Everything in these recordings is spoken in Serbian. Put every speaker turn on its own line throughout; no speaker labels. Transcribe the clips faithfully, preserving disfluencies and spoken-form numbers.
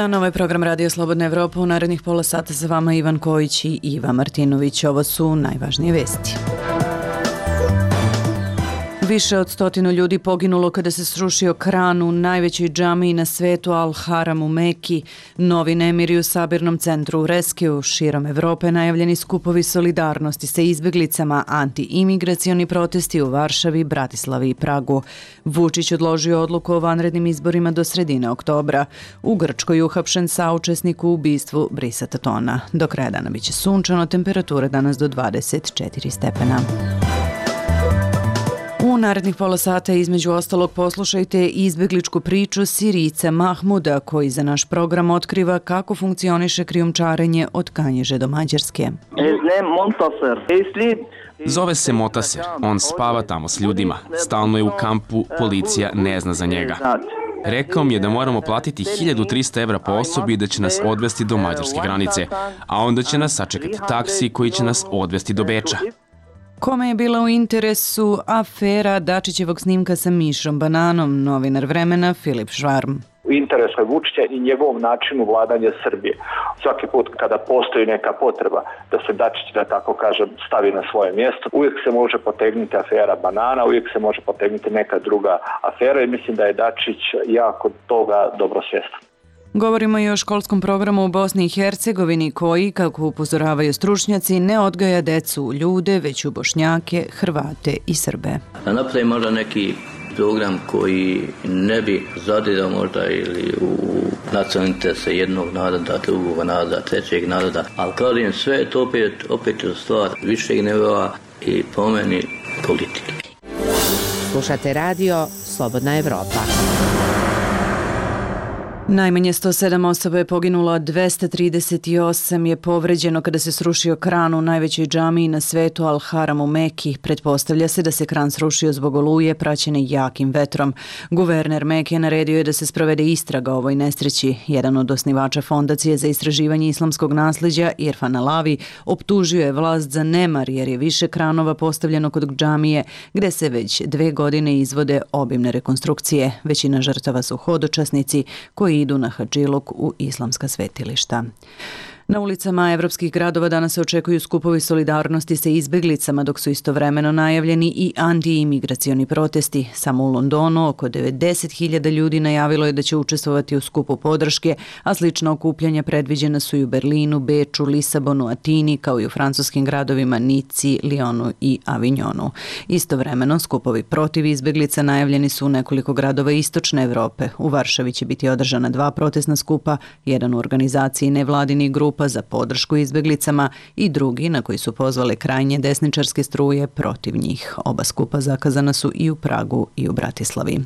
dan, ovo je program Radio Slobodna Evropa. U narednih pola sata sa vama Ivan Kojić i Iva Martinović. Ovo su najvažnije vesti. Više od stotinu ljudi poginulo kada se srušio kran u najvećoj džamiji na svetu Al-Haram u Meki. Novi nemiri u sabirnom centru u Reskiju. Širom Evrope najavljeni skupovi solidarnosti sa izbjeglicama, anti-imigracioni protesti u Varšavi, Bratislavi i Pragu. Vučić odložio odluku o vanrednim izborima do sredine oktobra. U Grčkoj uhapšen saučesnik u ubistvu Brisa Tatona. Do kraja dana biće sunčano, temperatura danas do dvadeset četiri stepena. U narednih pola sata između ostalog poslušajte izbjegličku priču Sirijca Mahmuda koji za naš program otkriva kako funkcioniše krijumčarenje od Kanjiže do Mađarske.
Zove se Motaser, on spava tamo s ljudima, stalno je u kampu, policija ne zna za njega. Rekao mi je da moramo platiti hiljadu trista evra po osobi i da će nas odvesti do mađarske granice, a onda će nas sačekati taksi koji će nas odvesti do Beča.
Kome je bila u interesu afera Dačićevog snimka sa Mišom Bananom, novinar Vremena Filip Švarm.
U interesu je Vučića i njegovom načinu vladanja Srbije. Svaki put kada postoji neka potreba da se Dačić, da tako kažem, stavi na svoje mjesto, uvijek se može potegnuti afera Banana, uvijek se može potegnuti neka druga afera i mislim da je Dačić jako toga dobro svjestan.
Govorimo i o školskom programu u Bosni i Hercegovini koji, kako upozoravaju stručnjaci, ne odgaja decu u ljude, već u Bošnjake, Hrvate i Srbe.
Da napravi možda neki program koji ne bi zadirao možda ili u nacionalne interese jednog naroda, drugog naroda, trećeg naroda, ali kažem sve je to opet, opet je stvar višeg nivoa i pomeni politike.
Slušate radio Slobodna Evropa.
Najmanje sto sedam osoba je poginulo, a dvesta trideset osam je povređeno kada se srušio kran u najvećoj džamiji na svetu Al-Haram u Meki. Pretpostavlja se da se kran srušio zbog oluje praćene jakim vetrom. Guverner Meke naredio je da se sprovede istraga o ovoj nesreći. Jedan od osnivača Fondacije za istraživanje islamskog nasljeđa, Irfan Alavi, optužio je vlast za nemar jer je više kranova postavljeno kod džamije gde se već dve godine izvode obimne rekonstrukcije. Većina žrtava su hodočasnici koji idu na hadžiluk u islamska svetilišta. Na ulicama evropskih gradova danas se očekuju skupovi solidarnosti sa izbjeglicama, dok su istovremeno najavljeni i anti-imigracioni protesti. Samo u Londonu oko devedeset hiljada ljudi najavilo je da će učestvovati u skupu podrške, a slična okupljanja predviđena su i u Berlinu, Beču, Lisabonu, Atini, kao i u francuskim gradovima Nici, Lyonu i Avignonu. Istovremeno, skupovi protiv izbjeglica najavljeni su u nekoliko gradova istočne Evrope. U Varšavi će biti održana dva protestna skupa, jedan u organizaciji nevladinih grupa za podršku izbjeglicama i drugi na koji su pozvale krajnje desničarske struje protiv njih. Oba skupa zakazana su i u Pragu i u Bratislavi.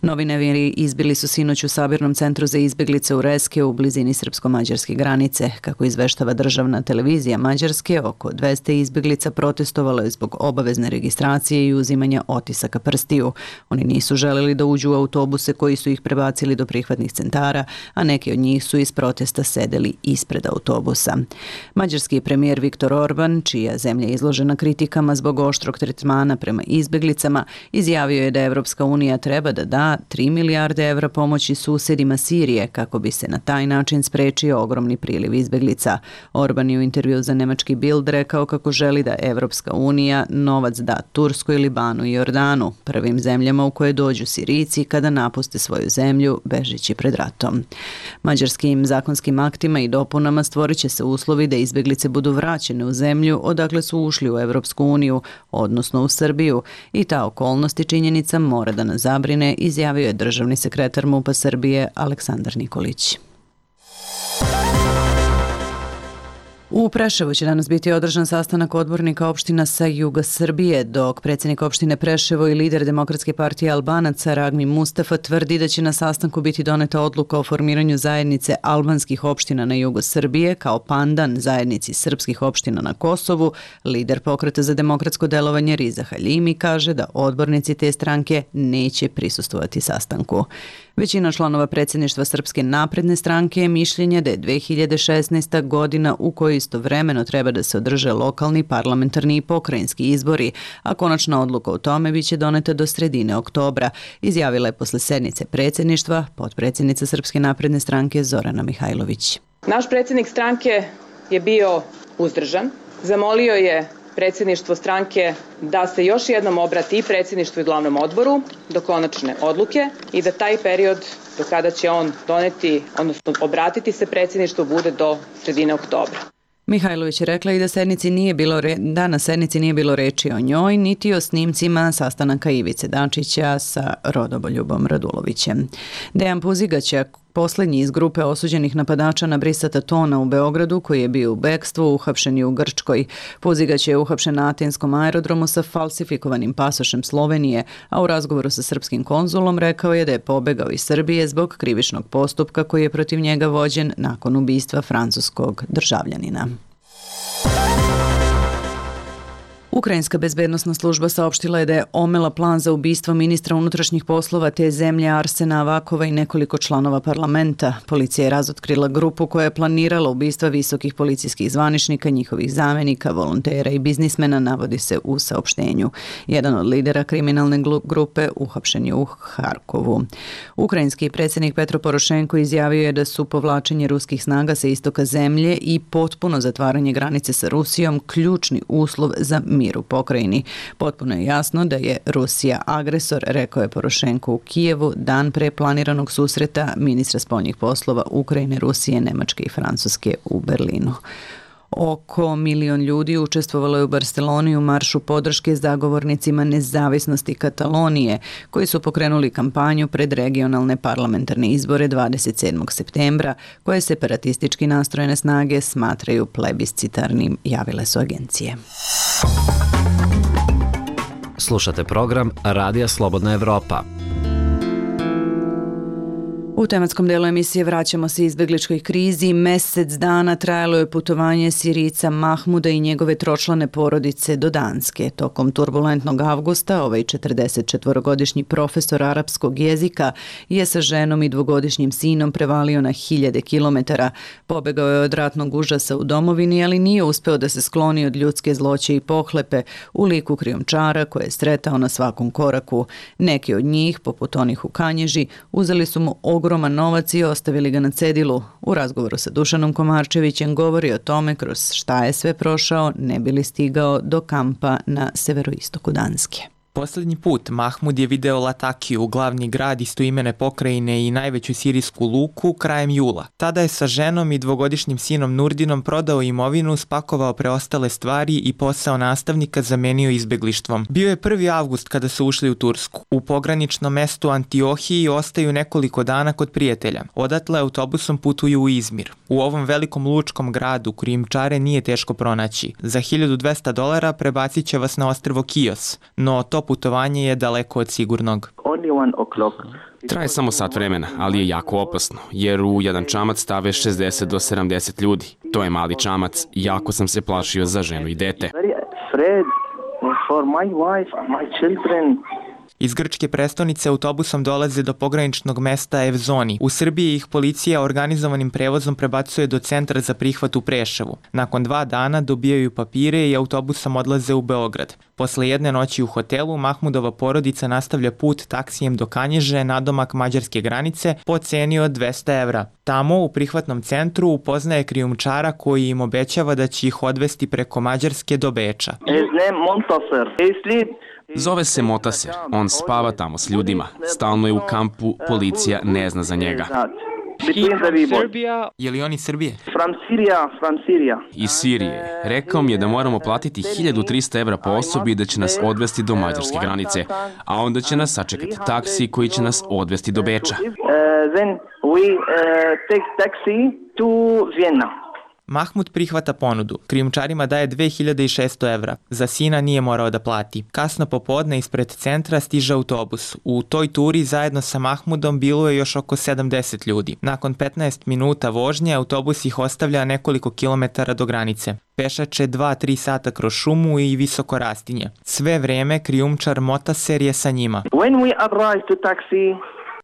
Novi nemiri izbili su sinoć u sabirnom centru za izbjeglice u Reske u blizini srpsko-mađarske granice. Kako izveštava državna televizija Mađarske, oko dvesta izbjeglica protestovalo je zbog obavezne registracije i uzimanja otisaka prstiju. Oni nisu želeli da uđu u autobuse koji su ih prebacili do prihvatnih centara, a neki od njih su iz protesta sedeli ispred autobusa. autobusa. Mađarski premijer Viktor Orban, čija zemlja je izložena kritikama zbog oštrog tretmana prema izbjeglicama, izjavio je da Evropska unija treba da da tri milijarde evra pomoći susjedima Sirije kako bi se na taj način sprečio ogromni priliv izbjeglica. Orban je u intervju za nemački Bild rekao kako želi da Evropska unija novac da Turskoj, Libanu i Jordanu, prvim zemljama u koje dođu Sirijci kada napuste svoju zemlju bežeći pred ratom. Mađarskim zakonskim aktima i dopunama stvorit će se uslovi da izbjeglice budu vraćene u zemlju odakle su ušli u Evropsku uniju, odnosno u Srbiju, i ta okolnost i činjenica mora da nas zabrine, izjavio je državni sekretar MUP-a Srbije Aleksandar Nikolić. U Preševu će danas biti održan sastanak odbornika opština sa juga Srbije, dok predsjednik opštine Preševo i lider Demokratske partije Albanaca Ragmi Mustafa tvrdi da će na sastanku biti doneta odluka o formiranju zajednice albanskih opština na jugu Srbije kao pandan zajednici srpskih opština na Kosovu. Lider Pokreta za demokratsko delovanje Riza Haljimi kaže da odbornici te stranke neće prisustvovati sastanku. Većina članova predsjedništva Srpske napredne stranke je mišljenja da je dve hiljade šesnaesta. godina u kojoj istovremeno treba da se održe lokalni, parlamentarni i pokrajinski izbori, a konačna odluka o tome biće doneta do sredine oktobra, izjavila je posle sednice predsjedništva potpredsjednica Srpske napredne stranke Zorana Mihajlović.
Naš predsjednik stranke je bio uzdržan, zamolio je predsjedništvo stranke da se još jednom obrati i predsjedništvu i glavnom odboru do konačne odluke i da taj period do kada će on doneti, odnosno obratiti se predsjedništvu, bude do sredine oktobra.
Mihajlović je rekla i da, sednici nije bilo re... da na sednici nije bilo reči o njoj, niti o snimcima sastanaka Ivice Dačića sa Rodoboljubom Radulovićem. Dejan Puzigaćak, poslednji iz grupe osuđenih napadača na Brisata Tona u Beogradu, koji je bio u bekstvu, uhapšen je u Grčkoj. Puzigać je uhapšen na Atenskom aerodromu sa falsifikovanim pasošem Slovenije, a u razgovoru sa srpskim konzulom rekao je da je pobegao iz Srbije zbog krivičnog postupka koji je protiv njega vođen nakon ubistva francuskog državljanina. Ukrajinska bezbednosna služba saopštila je da je omela plan za ubistvo ministra unutrašnjih poslova te zemlje Arsena Avakova i nekoliko članova parlamenta. Policija je razotkrila grupu koja je planirala ubistva visokih policijskih zvaničnika, njihovih zamenika, volontera i biznismena, navodi se u saopštenju. Jedan od lidera kriminalne grupe uhapšen je u Harkovu. Ukrajinski predsjednik Petro Porošenko izjavio je da su povlačenje ruskih snaga sa istoka zemlje i potpuno zatvaranje granice sa Rusijom ključni uslov za mir u pokrajini. Potpuno je jasno da je Rusija agresor, rekao je Porošenko u Kijevu dan pre planiranog susreta ministra spoljnih poslova Ukrajine, Rusije, Nemačke i Francuske u Berlinu. Oko milion ljudi učestvovalo je u Barceloni u maršu podrške zagovornicima nezavisnosti Katalonije, koji su pokrenuli kampanju pred regionalne parlamentarne izbore dvadeset sedmog septembra, koje separatistički nastrojene snage smatraju plebiscitarnim, javile su agencije.
Slušate program Radija Slobodna Evropa.
U tematskom delu emisije vraćamo se izbegličkoj krizi. Mesec dana trajalo je putovanje Sirijca Mahmuda i njegove tročlane porodice do Danske. Tokom turbulentnog avgusta ovaj četrdesetčetvorogodišnji profesor arapskog jezika je sa ženom i dvogodišnjim sinom prevalio na hiljade kilometara. Pobegao je od ratnog užasa u domovini, ali nije uspeo da se skloni od ljudske zloće i pohlepe u liku krijumčara koje je sretao na svakom koraku. Neki od njih, poput onih u Kanježi, uzeli su mu ogroman novac i ostavili ga na cedilu. U razgovoru sa Dušanom Komarčevićem govori o tome kroz šta je sve prošao ne bi li stigao do kampa na severoistoku Danske.
Poslednji put Mahmud je video Latakiju, glavni grad istoimene pokrajine i najveću sirijsku luku, krajem jula. Tada je sa ženom i dvogodišnjim sinom Nurdinom prodao imovinu, spakovao preostale stvari i posao nastavnika zamenio izbeglištvom. Bio je prvi avgust kada su ušli u Tursku. U pograničnom mestu Antiohiji ostaju nekoliko dana kod prijatelja. Odatle autobusom putuju u Izmir. U ovom velikom lučkom gradu krijumčare nije teško pronaći. Za hiljadu dvesta dolara prebacit će vas na ostrvo Kios, no to putovanje je daleko od sigurnog.
Traje samo sat vremena, ali je jako opasno, jer u jedan čamac stave šezdeset do sedamdeset ljudi. To je mali čamac, jako sam se plašio za ženu i dete.
Iz grčke prestonice autobusom dolaze do pograničnog mesta Evzoni. U Srbiji ih policija organizovanim prevozom prebacuje do centra za prihvat u Preševu. Nakon dva dana dobijaju papire i autobusom odlaze u Beograd. Posle jedne noći u hotelu, Mahmudova porodica nastavlja put taksijem do Kanježe, nadomak mađarske granice, po ceni od dvesta evra. Tamo, u prihvatnom centru, upoznaje krijumčara koji im obećava da će ih odvesti preko Mađarske do Beča.
Zove se Motaser, on spava tamo s ljudima. Stalno je u kampu, policija ne zna za njega.
Je li on iz Srbije?
Iz Sirije. Rekao mi je da moramo platiti hiljadu trista evra po osobi i da će nas odvesti do mađarske granice, a onda će nas sačekati taksi koji će nas odvesti do Beča.
Mahmud prihvata ponudu. Krijumčarima daje dve hiljade šesto evra. Za sina nije morao da plati. Kasno popodne ispred centra stiže autobus. U toj turi zajedno sa Mahmudom bilo je još oko sedamdeset ljudi. Nakon petnaest minuta vožnje autobus ih ostavlja nekoliko kilometara do granice. Pešače dva do tri sata kroz šumu i visoko rastinje. Sve vreme krijumčar Motaser je sa njima.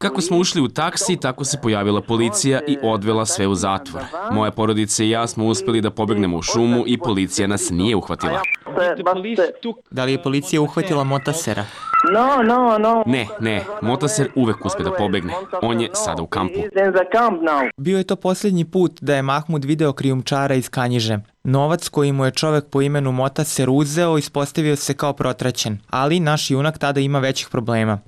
Kako smo ušli u taksi, tako se pojavila policija i odvela sve u zatvor. Moja porodica i ja smo uspeli da pobegnemo u šumu i policija nas nije uhvatila.
Da li je policija uhvatila Motasera?
No, no, no.
Ne, ne, Motaser uvek uspe da pobegne. On je sada u kampu.
Bio je to posljednji put da je Mahmud video krijumčara iz Kanjiže. Novac koji mu je čovek po imenu Motaser uzeo ispostavio se kao protraćen, ali naš junak tada ima većih problema.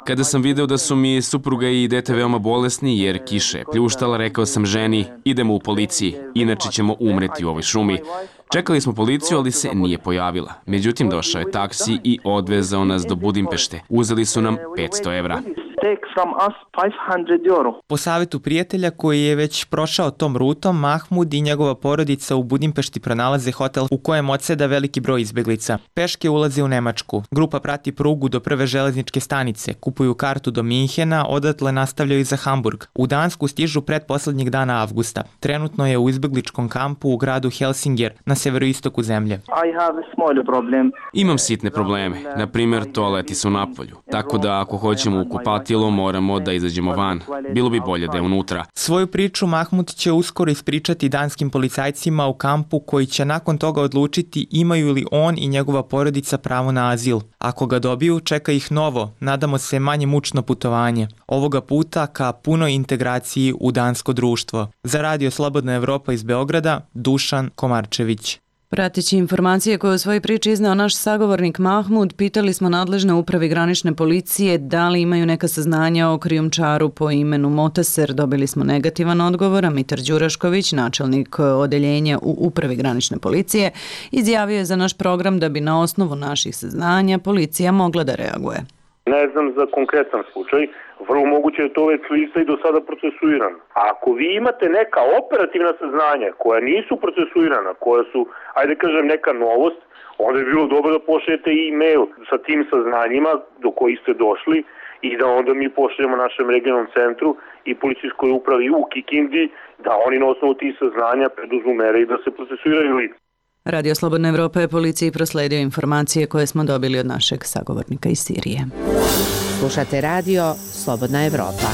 Kada sam video da su mi supruga i dete veoma bolesni jer kiša je pljuštala, rekao sam ženi, idemo u policiji, inače ćemo umreti u ovoj šumi. Čekali smo policiju, ali se nije pojavila. Međutim, došao je taksi i odvezao nas do Budimpešte. Uzeli su nam petsto evra.
Po savjetu prijatelja koji je već prošao tom rutom, Mahmud i njegova porodica u Budimpešti pronalaze hotel u kojem odseda veliki broj izbeglica. Peške ulaze u Nemačku. Grupa prati prugu do prve železničke stanice, kupuju kartu do Minhena, odatle nastavljaju za Hamburg. U Dansku stižu pretposlednjeg dana avgusta. Trenutno je u izbegličkom kampu u gradu Helsinger, na severoistoku zemlje.
Imam sitne probleme. Na primjer, toaleti su napolju. Tako da ako hoćemo u kupatilo, moramo da izađemo van. Bilo bi bolje da je unutra.
Svoju priču Mahmud će uskoro ispričati danskim policajcima u kampu koji će nakon toga odlučiti imaju li on i njegova porodica pravo na azil. Ako ga dobiju, čeka ih novo, nadamo se manje mučno putovanje. Ovoga puta ka punoj integraciji u dansko društvo. Za Radio Slobodna Evropa iz Beograda, Dušan Komarčević.
Prateći informacije koje u svojoj priči izneo naš sagovornik Mahmud, pitali smo nadležne upravi granične policije da li imaju neka saznanja o krijumčaru po imenu Motaser. Dobili smo negativan odgovor, a Mitar Đurašković, načelnik odeljenja u upravi granične policije, izjavio je za naš program da bi na osnovu naših saznanja policija mogla da reaguje.
Ne znam za konkretan slučaj, vrlo moguće je to već lista i do sada procesuirano. A ako vi imate neka operativna saznanja koja nisu procesuirana, koja su, ajde kažem, neka novost, onda je bilo dobro da pošaljete e-mail sa tim saznanjima do kojih ste došli i da onda mi pošaljemo našem regionalnom centru i policijskoj upravi u Kikindi da oni na osnovu tih saznanja preduzmu mere i da se procesuiraju lica.
Radio Slobodna Evropa je policiji prosledio informacije koje smo dobili od našeg sagovornika iz Sirije.
Slušate radio Slobodna Evropa.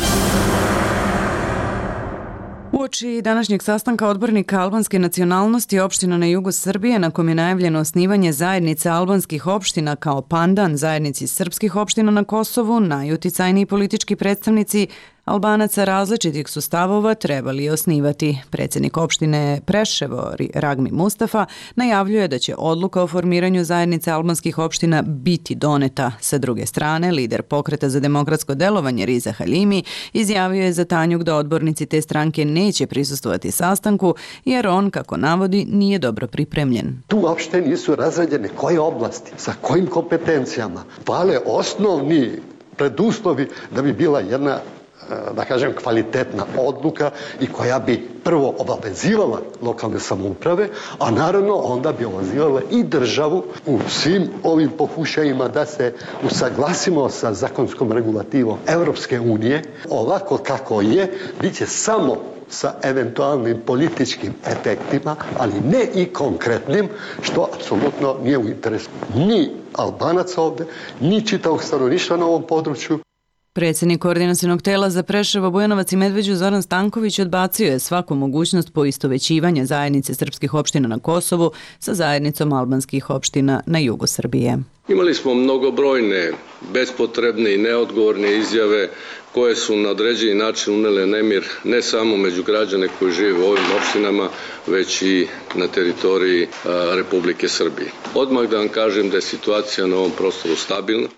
Uoči današnjeg sastanka odbornika albanske nacionalnosti opština na jugu Srbije, na kom je najavljeno osnivanje zajednice albanskih opština kao pandan zajednici srpskih opština na Kosovu, najuticajniji politički predstavnici Albanaca različitih su stavova trebali je osnivati. Predsjednik opštine Preševo, Ragmi Mustafa, najavljuje da će odluka o formiranju zajednice albanskih opština biti doneta. Sa druge strane, lider pokreta za demokratsko delovanje Riza Halimi izjavio je za Tanjug da odbornici te stranke neće prisustvovati sastanku jer on, kako navodi, nije dobro pripremljen.
Tu uopšte nisu razrađene koje oblasti, sa kojim kompetencijama. Fale osnovni preduslovi da bi bila jedna, da kažem, kvalitetna odluka i koja bi prvo obavezivala lokalne samouprave, a naravno onda bi obavezivala i državu u svim ovim pokušajima da se usaglasimo sa zakonskom regulativom Evropske unije. Ovako kako je, bit će samo sa eventualnim političkim efektima, ali ne i konkretnim, što apsolutno nije u interesu ni Albanaca ovde, ni čitavog stanovništva na ovom području.
Predsjednik koordinacionog tela za Preševo, Bujanovac i Medveđu Zoran Stanković odbacio je svaku mogućnost poistovećivanja zajednice srpskih opština na Kosovu sa zajednicom albanskih opština na jugu Srbije.
Imali smo mnogobrojne, bespotrebne i neodgovorne izjave koje su na određeni način unele nemir ne samo među građane koji žive u ovim opštinama, već i na teritoriji a, Republike Srbije. Odmah da vam kažem da je situacija na ovom prostoru stabilna.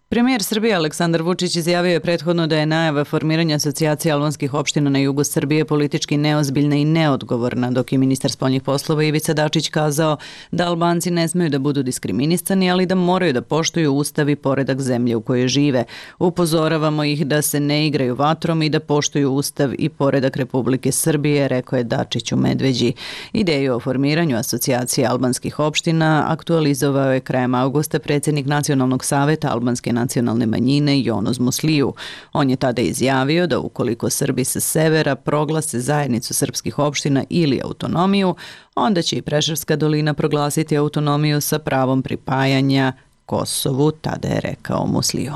Premijer Srbije Aleksandar Vučić izjavio je prethodno da je najava formiranja asocijacije albanskih opština na jugu Srbije politički neozbiljna i neodgovorna, dok je ministar spoljnih poslova Ivica Dačić kazao da Albanci ne smeju da budu diskriminisani, ali da moraju da poštuju ustav i poredak zemlje u kojoj žive. Upozoravamo ih da se ne igraju vatrom i da poštuju ustav i poredak Republike Srbije, rekao je Dačić u Medveđi. Ideju o formiranju asocijacije albanskih opština aktualizovao je krajem avgusta predsjednik Nacionalnog saveta albanske nacionalne manjine Jonos Musliju. On je tada izjavio da ukoliko Srbi sa severa proglase zajednicu srpskih opština ili autonomiju, onda će i Preševska dolina proglasiti autonomiju sa pravom pripajanja Kosovu, tada je rekao Musliju.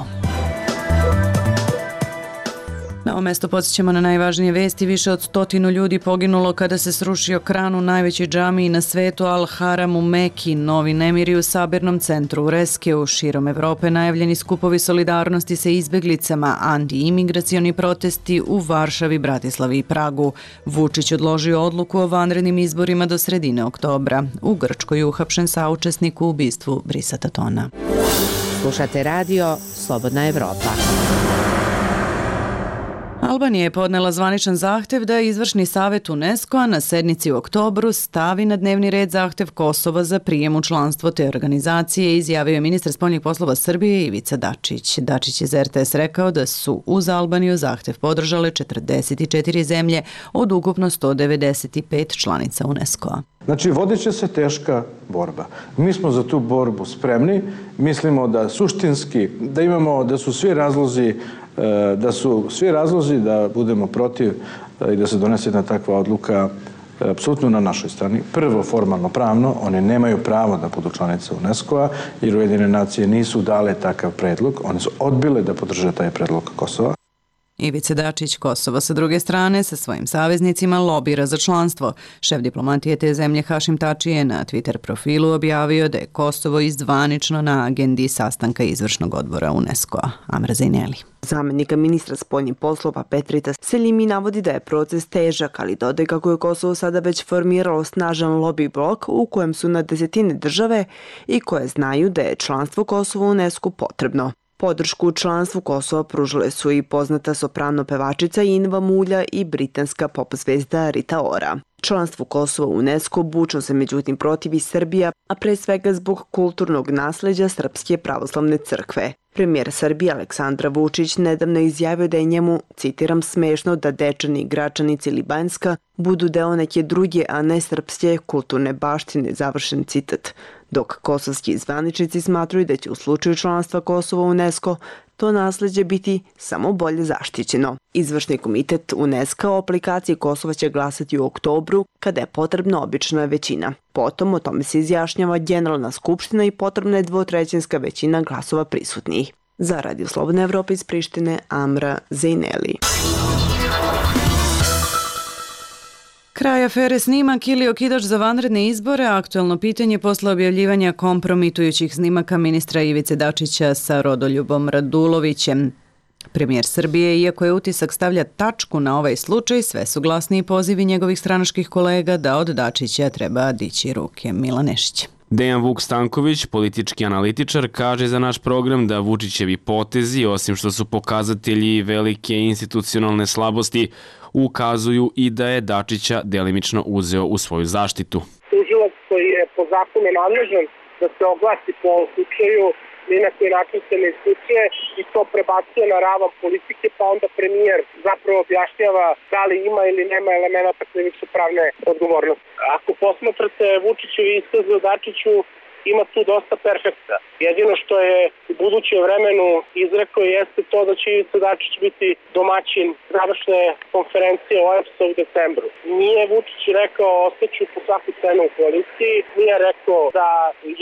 ovom mjestu podsjećamo na najvažnije vesti. Više od stotinu ljudi poginulo kada se srušio kran u najvećoj džamiji na svetu Al-Haram u Meki. Novi nemiri u sabirnom centru u Reskeu. Širom Evrope najavljeni skupovi solidarnosti sa izbeglicama, anti-imigracioni protesti u Varšavi, Bratislavi i Pragu. Vučić odložio odluku o vanrednim izborima do sredine oktobra. U Grčkoj je uhapšen saučesnik u ubistvu Brisa Tatona.
Slušate radio Slobodna Evropa.
Albanija je podnela zvaničan zahtev da izvršni savjet UNESCO-a na sednici u oktobru stavi na dnevni red zahtev Kosova za prijem u članstvo te organizacije, izjavio je ministar spoljnih poslova Srbije Ivica Dačić. Dačić je za R T S rekao da su uz Albaniju zahtev podržale četrdeset četiri zemlje od ukupno sto devedeset pet članica UNESCO-a.
Znači, vodit će se teška borba. Mi smo za tu borbu spremni. Mislimo da suštinski, da imamo, da su svi razlozi da su svi razlozi da budemo protiv i da se donese jedna takva odluka apsolutno na našoj strani. Prvo, formalno pravno, oni nemaju pravo da budu članice UNESCO-a, jer Ujedinjene nacije nisu dale takav predlog, one su odbile da podrže taj predlog Kosova.
Ivica Dačić Kosova sa druge strane sa svojim saveznicima lobira za članstvo. Šef diplomatije te zemlje Hašim Tači je na Twitter profilu objavio da je Kosovo izdvanično na agendi sastanka izvršnog odbora UNESCO-a. Amra Zajneli.
Zamenika ministra spoljnih poslova Petrita Seljimi navodi da je proces težak, ali dodaje kako je Kosovo sada već formiralo snažan lobby blok u kojem su na desetine države i koje znaju da je članstvo Kosova u UNESCO potrebno. Podršku u članstvu Kosova pružile su i poznata soprano pevačica Inva Mulja i britanska pop zvezda Rita Ora. Članstvu Kosova u UNESCO bučno se međutim protivi Srbija, a pre svega zbog kulturnog nasleđa Srpske pravoslavne crkve. Premijer Srbije Aleksandar Vučić nedavno izjavio da je njemu, citiram, smešno da Dečani, Gračanici ili Banjska budu deo neke druge, a ne srpske kulturne baštine, završen citat. Dok kosovski zvaničnici smatruju da će u slučaju članstva Kosova u UNESCO to nasleđe biti samo bolje zaštićeno. Izvršni komitet UNESCO o aplikaciji Kosova će glasati u oktobru, kada je potrebna obična većina. Potom o tome se izjašnjava Generalna skupština i potrebna je dvotrećinska većina glasova prisutnih. Za Radio Slobodna Evropa iz Prištine, Amra Zajneli.
Kraj afere snimak ili okidač za vanredne izbore, aktuelno pitanje posle objavljivanja kompromitujućih snimaka ministra Ivice Dačića sa Rodoljubom Radulovićem. Premijer Srbije, iako je utisak stavlja tačku na ovaj slučaj, sve su glasniji pozivi njegovih stranačkih kolega da od Dačića treba dići ruke. Milan Nešić.
Dejan Vuk Stanković, politički analitičar, kaže za naš program da Vučićevi potezi, osim što su pokazatelji velike institucionalne slabosti, ukazuju i da je Dačića delimično uzeo u svoju zaštitu.
Tužilac koji je po zakonu nadležan da se oglasi po ovom slučaju, ni na koji način se ne isključuje i to prebacuje na ravan politike, pa onda premijer zapravo objašnjava da li ima ili nema elemenata krivično pravne odgovornosti. Ako posmatrate Vučićevi iskaz o Dačiću, ima tu dosta perfekta. Jedino što je u budućem vremenu izrekao jeste to da će Ivica Dačić biti domaćin završne konferencije O E B S-a u decembru. Nije Vučić rekao ostaću po svaku cenu u koaliciji, nije rekao da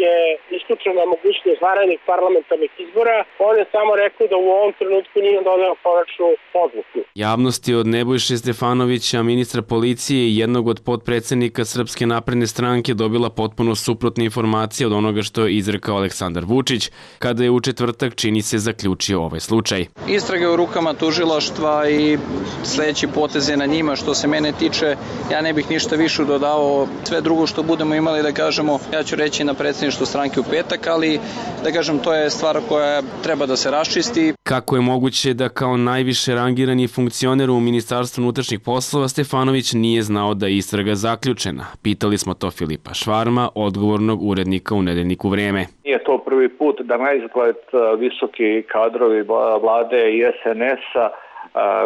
je isključena mogućnost vanrednih parlamentarnih izbora, on je samo rekao da u ovom trenutku nije doneo konačnu odluku.
Javnost je od Nebojše Stefanovića, ministra policije i jednog od potpredsednika Srpske napredne stranke dobila potpuno suprotne informacije od onoga što je izrekao Aleksandar Vučić, kada je u četvrtak, čini se, zaključio ovaj slučaj.
Istrage u rukama tužilaštva i sledeći poteze na njima. Što se mene tiče, ja ne bih ništa više dodao. Sve drugo što budemo imali da kažemo, ja ću reći na predsjedništvu stranke u petak, ali da kažem, to je stvar koja treba da se raščisti.
Kako je moguće da kao najviše rangirani funkcioner u Ministarstvu unutrašnjih poslova Stefanović nije znao da je istraga zaključena? Pitali smo to Filipa Švarma, odgovornog urednika u nedeljniku Vreme.
Nije to prvi put da naizgled visoki kadrovi vlade i S N S-a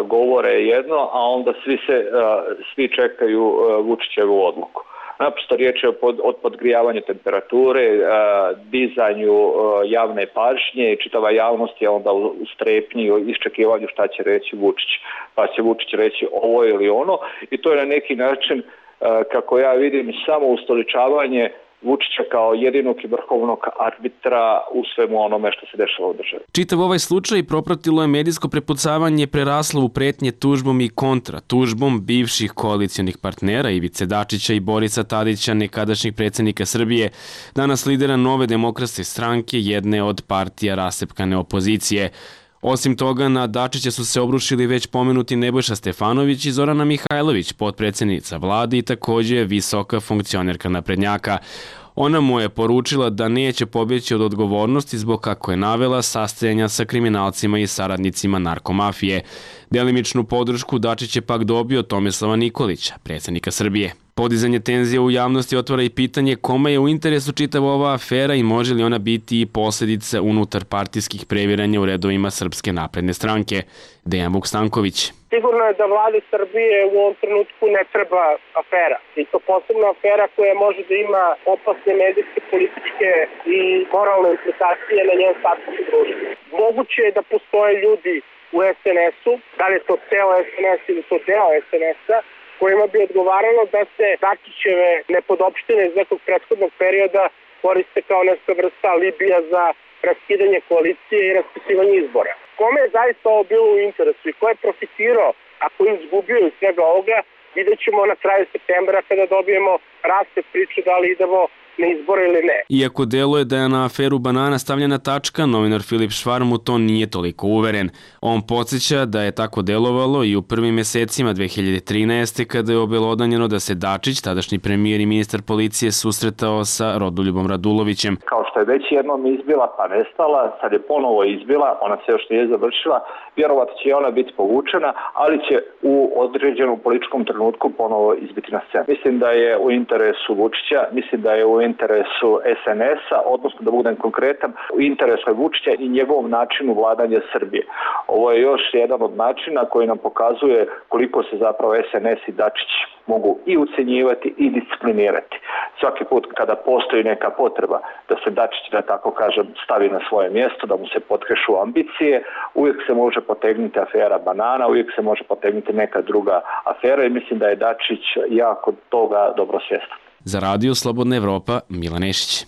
govore jedno, a onda svi, se, svi čekaju Vučićevu odluku. Naprosto riječ je o podgrijavanju temperature, dizanju javne pažnje i čitava javnost je onda u strepnji i iščekivanju šta će reći Vučić. Pa će Vučić reći ovo ili ono i to je na neki način, kako ja vidim, samo ustoličavanje Vučića kao jedinog i vrhovnog arbitra u svemu onome što se dešava u državi.
Čitav ovaj slučaj propratilo je medijsko prepucavanje preraslo u pretnje tužbom i kontra tužbom bivših koalicijonih partnera Ivice Dačića i Borisa Tadića, nekadašnjeg predsjednika Srbije, danas lidera Nove demokratske stranke, jedne od partija rasepkane opozicije. Osim toga, na Dačića su se obrušili već pomenuti Nebojša Stefanović i Zorana Mihajlović, potpredsjednica vlade i također visoka funkcionerka naprednjaka. Ona mu je poručila da neće pobjeći od odgovornosti zbog, kako je navela, sastajanja sa kriminalcima i saradnicima narkomafije. Delimičnu podršku Dačić je pak dobio Tomislava Nikolića, predsjednika Srbije. Podizanje tenzije u javnosti otvara i pitanje kome je u interesu čitava ova afera i može li ona biti i posljedica unutar partijskih previranja u redovima Srpske napredne stranke. Dejan Vukstanković.
Sigurno je da vladi Srbije u ovom trenutku ne treba afera. I to posebno afera koja može da ima opasne medijske, političke i moralne implikacije na njen status u društvu. Moguće je da postoje ljudi u es en esu, da li je to ceo es en es ili to deo es en esa, kojima bi odgovaralo da se Dačićeve nepodopštine iz nekog prethodnog perioda koriste kao neka vrsta alibija za raskidanje koalicije i raspisivanje izbora. Kome je zaista ovo bilo u interesu i ko je profitirao, ako je izgubio iz svega ovoga, vidjet ćemo na kraju septembra kada dobijemo rasplet priče da li idemo na izbore ili ne.
Iako deluje da je na aferu banana stavljena tačka, novinar Filip Švarm u to nije toliko uveren. On podsjeća da je tako delovalo i u prvim mesecima dve hiljade trinaeste. kada je obelodanjeno da se Dačić, tadašnji premijer i ministar policije, susretao sa Rodoljubom Radulovićem.
Kao što je već jednom izbila pa nestala, sad je ponovo izbila, ona se još nije završila, vjerovatno će ona biti povučena, ali će u određenom političkom trenutku ponovo izbiti na scenu. Mislim da je u interesu Vučića, mislim da je u interesu es en esa, odnosno da budem konkretan, u interesu Vučića i njegovom načinu vladanja Srbije. Ovo je još jedan od načina koji nam pokazuje koliko se zapravo es en es i Dačić mogu i ucenjivati i disciplinirati. Svaki put kada postoji neka potreba da se Dačić, da tako kažem, stavi na svoje mjesto, da mu se potkešu ambicije, uvijek se može potegnuti afera banana, uvijek se može potegnuti neka druga afera i mislim da je Dačić jako toga dobro svjestan.
Za radio Slobodna Evropa, Milan Nešić.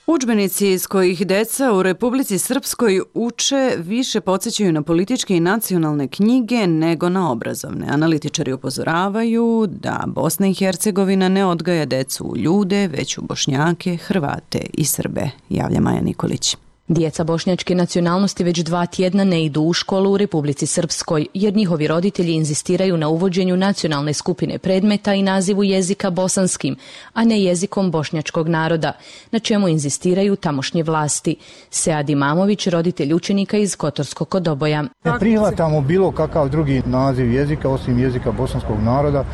Udžbenici iz kojih deca u Republici Srpskoj uče više podsjećaju na političke i nacionalne knjige nego na obrazovne. Analitičari upozoravaju da Bosna i Hercegovina ne odgaja decu u ljude, već u Bošnjake, Hrvate i Srbe, javlja Maja Nikolić.
Djeca bošnjačke nacionalnosti već dva tjedna ne idu u školu u Republici Srpskoj, jer njihovi roditelji inzistiraju na uvođenju nacionalne skupine predmeta i nazivu jezika bosanskim, a ne jezikom bošnjačkog naroda, na čemu inzistiraju tamošnje vlasti. Sead Imamović, roditelj učenika iz Kotorskog Kodoboja.
Ne prihvatamo bilo kakav drugi naziv jezika osim jezika bosanskog naroda.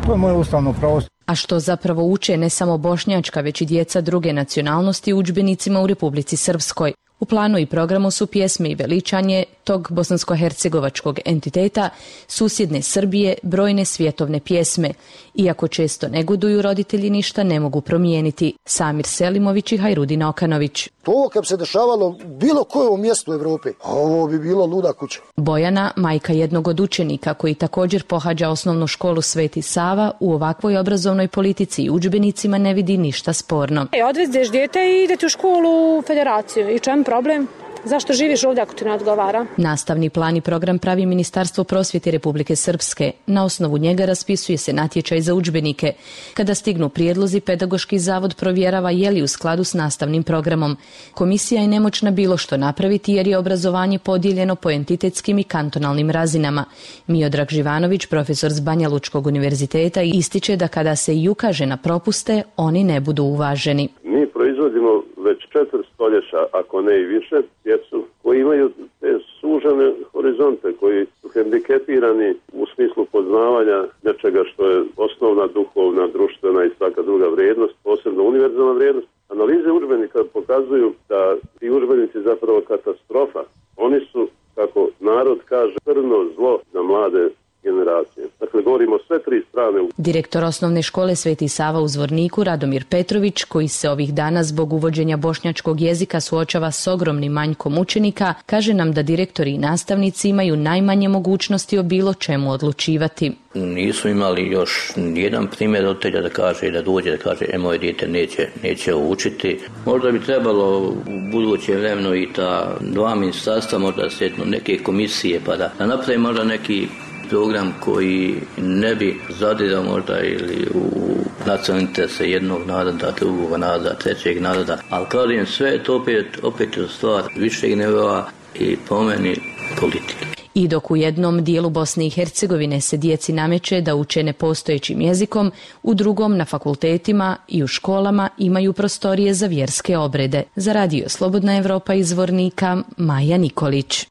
To je moje ustavno pravo.
A što zapravo uče ne samo bošnjačka, već i djeca druge nacionalnosti u udžbenicima u Republici Srpskoj. U planu i programu su pjesme i veličanje tog bosansko-hercegovačkog entiteta, susjedne Srbije, brojne svjetovne pjesme. Iako često negoduju, roditelji ništa ne mogu promijeniti. Samir Selimović i Hajrudin Okanović.
To kad se dešavalo u bilo kojom mjestu u Evropi, ovo bi bilo luda kuća.
Bojana, majka jednog od učenika koji također pohađa osnovnu školu Sveti Sava, u ovakvoj obrazovnoj politici i udžbenicima ne vidi ništa sporno.
E, odvezdeš dijete i idete u školu u federaciju. I čem problem? Zašto živiš ovdje ako ti ne odgovara?
Nastavni plan i program pravi Ministarstvo prosvjete Republike Srpske. Na osnovu njega raspisuje se natječaj za udžbenike. Kada stignu prijedlozi, Pedagoški zavod provjerava je li u skladu s nastavnim programom. Komisija je nemoćna bilo što napraviti jer je obrazovanje podijeljeno po entitetskim i kantonalnim razinama. Miodrag Živanović, profesor s Banja Lučkog univerziteta, ističe da kada se i ukaže na propuste, oni ne budu uvaženi.
Mi proizvodimo već četiri stoljeća, ako ne i više, djecu koji imaju te sužene horizonte, koji su hendikepirani u smislu poznavanja nečega što je osnovna duhovna, društvena i svaka druga vrijednost, posebno univerzalna vrijednost. Analize udžbenika pokazuju da ti udžbenici zapravo katastrofa. Oni su, kako narod kaže, crno zlo za mlade generacije. federacije. Dakle, govorimo sve tri strane.
Direktor osnovne škole Sveti Sava u Zvorniku, Radomir Petrović, koji se ovih dana zbog uvođenja bošnjačkog jezika suočava s ogromnim manjkom učenika, kaže nam da direktori i nastavnici imaju najmanje mogućnosti o bilo čemu odlučivati.
Nisu imali još nijedan primjer roditelja da kaže, da dođe da kaže, e, moje dijete neće, neće učiti. Možda bi trebalo u buduće vremeno i ta dva ministarstva, možda sjetno neke komisije, pa da, da napravi možda neki program koji ne bi zadirao možda ili u nacionalne interese jednog naroda, drugog naroda, trećeg naroda, ali kažem sve je to opet, opet je stvar višeg nivoa i po meni politike.
I dok u jednom dijelu Bosne i Hercegovine se djeci nameće da uče nepostojećim jezikom, u drugom na fakultetima i u školama imaju prostorije za vjerske obrede. Za Radio Slobodna Evropa iz Zvornika, Maja Nikolić.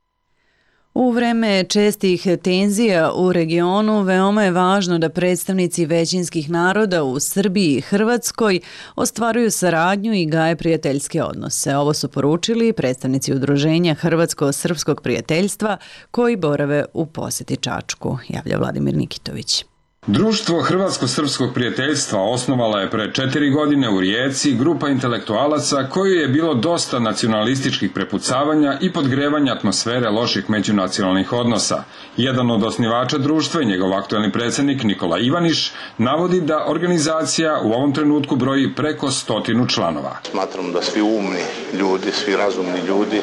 U vreme čestih tenzija u regionu veoma je važno da predstavnici većinskih naroda u Srbiji i Hrvatskoj ostvaruju saradnju i gaje prijateljske odnose. Ovo su poručili predstavnici udruženja Hrvatsko-srpskog prijateljstva koji borave u posjeti Čačku, javlja Vladimir Nikitović.
Društvo Hrvatsko-srpskog prijateljstva osnovala je pre četiri godine u Rijeci grupa intelektualaca koju je bilo dosta nacionalističkih prepucavanja i podgrevanja atmosfere loših međunacionalnih odnosa. Jedan od osnivača društva i njegov aktuelni predsjednik Nikola Ivaniš navodi da organizacija u ovom trenutku broji preko stotinu članova.
Smatram da svi umni ljudi, svi razumni ljudi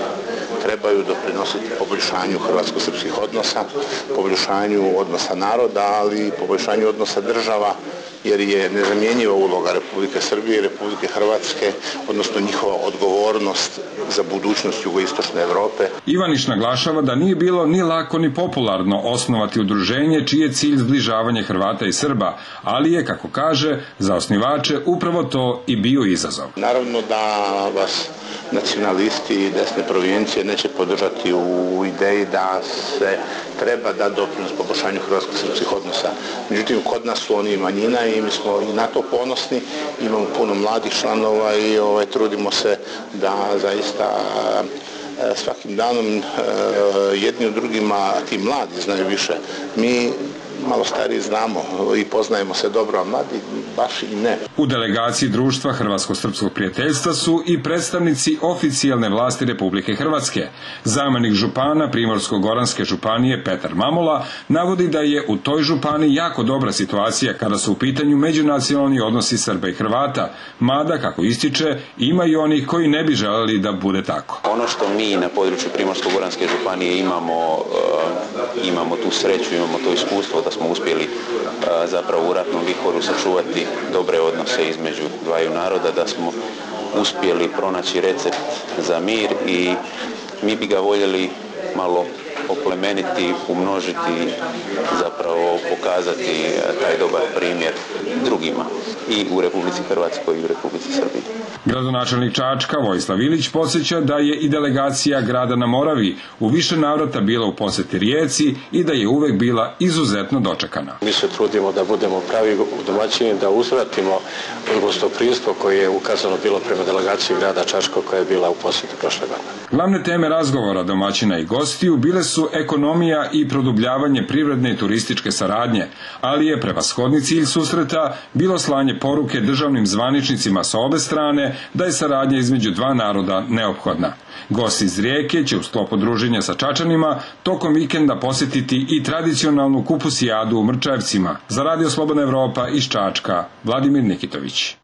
trebaju doprinositi poboljšanju hrvatsko-srpskih odnosa, poboljšanju odnosa naroda, ali i poboljšanju odnosa država, jer je nezamjenjiva uloga Republike Srbije i Republike Hrvatske, odnosno njihova odgovornost za budućnost jugoistočne Evrope.
Ivaniš naglašava da nije bilo ni lako ni popularno osnovati udruženje čiji je cilj zbližavanje Hrvata i Srba, ali je, kako kaže, za osnivače upravo to i bio izazov.
Naravno da vas nacionalisti i desne provincije neće podržati u ideji da se treba da doprinos poboljšanju hrvatsko-srpskih odnosa. Međutim, kod nas su oni manjina i mi smo i na to ponosni, imamo puno mladih članova i ovaj, trudimo se da zaista svakim danom jedni od drugima, ti mladi znaju više. Mi malo stariji znamo i poznajemo se dobro, a mladi baš i ne.
U delegaciji društva Hrvatsko-srpskog prijateljstva su i predstavnici oficijalne vlasti Republike Hrvatske. Zamenik župana Primorsko-goranske županije Petar Mamola navodi da je u toj županiji jako dobra situacija kada su u pitanju međunacionalni odnosi Srba i Hrvata, mada, kako ističe, ima i onih koji ne bi želeli da bude tako.
Ono što mi na području Primorsko-goranske županije imamo, uh, imamo tu sreću, imamo to iskustvo da smo uspjeli a, zapravo u ratnom vihoru sačuvati dobre odnose između dvaju naroda, da smo uspjeli pronaći recept za mir i mi bi ga voljeli malo oplemeniti, umnožiti, zapravo pokazati taj dobar primjer drugima i u Republici Hrvatskoj i u Republici Srbiji.
Gradonačelnik Čačka Vojislav Ilić podsjeća da je i delegacija grada na Moravi u više navrata bila u posjeti Rijeci i da je uvek bila izuzetno dočekana.
Mi se trudimo da budemo pravi domaćini, da uzvratimo gostoprimstvo koje je ukazano bilo prema delegaciji grada Čačka koja je bila u posjeti prošle godine.
Glavne teme razgovora domaćina i gostiju bile su ekonomija i produbljavanje privredne i turističke saradnje, ali je prevashodni cilj susreta bilo slanje poruke državnim zvaničnicima sa obe strane da je saradnja između dva naroda neophodna. Gosti iz Rijeke će u sklopu druženja sa Čačanima tokom vikenda posjetiti i tradicionalnu kupusijadu u Mrčajevcima. Za Radio Slobodna Evropa iz Čačka, Vladimir Nikitović.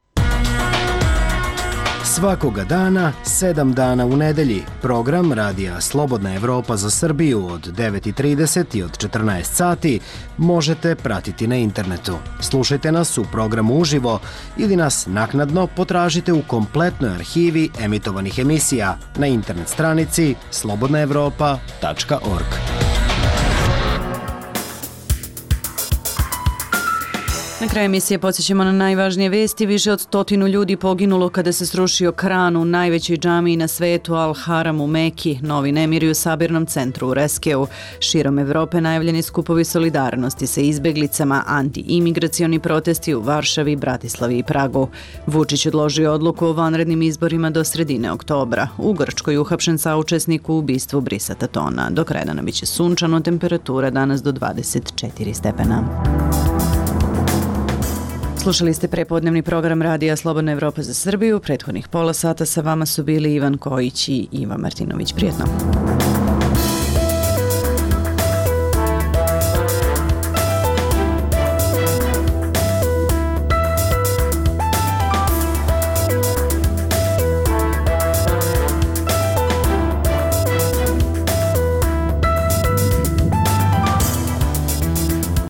Svakoga dana, sedam dana u nedelji, program Radija Slobodna Evropa za Srbiju od devet i trideset i od četrnaest sati možete pratiti na internetu. Slušajte nas u programu uživo ili nas naknadno potražite u kompletnoj arhivi emitovanih emisija na internet stranici slobodna evropa tačka org.
Na kraju emisije podsjećamo na najvažnije vesti. Više od stotinu ljudi poginulo kada se srušio kran u najvećoj džamiji na svetu Al-Haram u Meki. Novi nemiri u sabirnom centru u Reskeu. Širom Evrope najavljeni skupovi solidarnosti sa izbeglicama, anti-imigracioni protesti u Varšavi, Bratislavi i Pragu. Vučić odložio odluku o vanrednim izborima do sredine oktobra. U Grčkoj uhapšen saučesnik u ubistvu Brisa Tatona. Do kraja dana biće sunčano, temperatura danas do dvadeset četiri stepena. Slušali ste prepodnevni program Radija Slobodna Evropa za Srbiju. Prethodnih pola sata sa vama su bili Ivan Kojić i Iva Martinović. Prijetno.